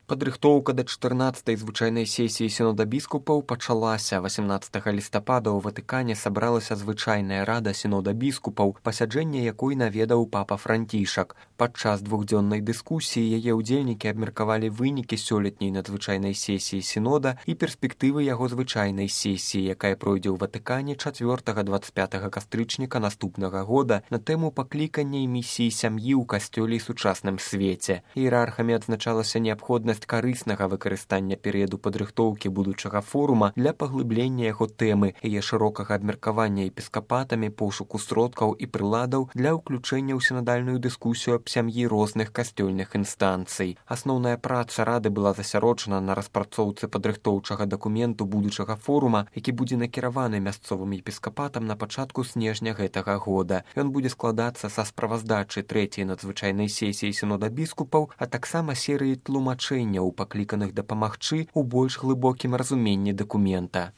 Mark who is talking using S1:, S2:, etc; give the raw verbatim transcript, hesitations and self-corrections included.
S1: Падрыхтоўка да чатырнаццатай звычайнай сесіі сінода біскупаў пачалася. васямнаццатага лістапада ў Ватыкане сабралася звычайная рада сінода біскупаў, пасяджэнне якой наведаў папа Францішак. Падчас двухдзённай дыскусіі яе ўдзельнікі абмеркавалі вынікі сёлетняй надзвычайнай сесіі сінода і перспектывы яго звычайнай сесіі, якая пройдзе ў Ватыкане чацвёртага дваццаць пятага кастрычніка наступнага года на тэму паклікання і місіі сям'і ў касцёле і сучасным свеце. Іерархамі адзначалася неабходнасць карыснага выкарыстання перыяду падрыхтоўкі будучага форума для паглыблення яго тэмы, яе шырокага абмеркавання епіскапатамі, пошуку сродкаў і прыладаў для ўключэння ў сінадальную дыскусію аб сям'і розных касцёльных інстанцый. Асноўная праца рады была засяроджана на распрацоўцы падрыхтоўчага дакументу будучага форума, які будзе накіраваны мясцовым епіскапатам на пачатку снежня гэтага года. Ён будзе складацца са справаздачы трэцяй надзвычайнай сесіі сінода біскупаў, а таксама серыі тлумачэнняў, пакліканых дапамагчы ў больш глыбокім разуменні дакумента.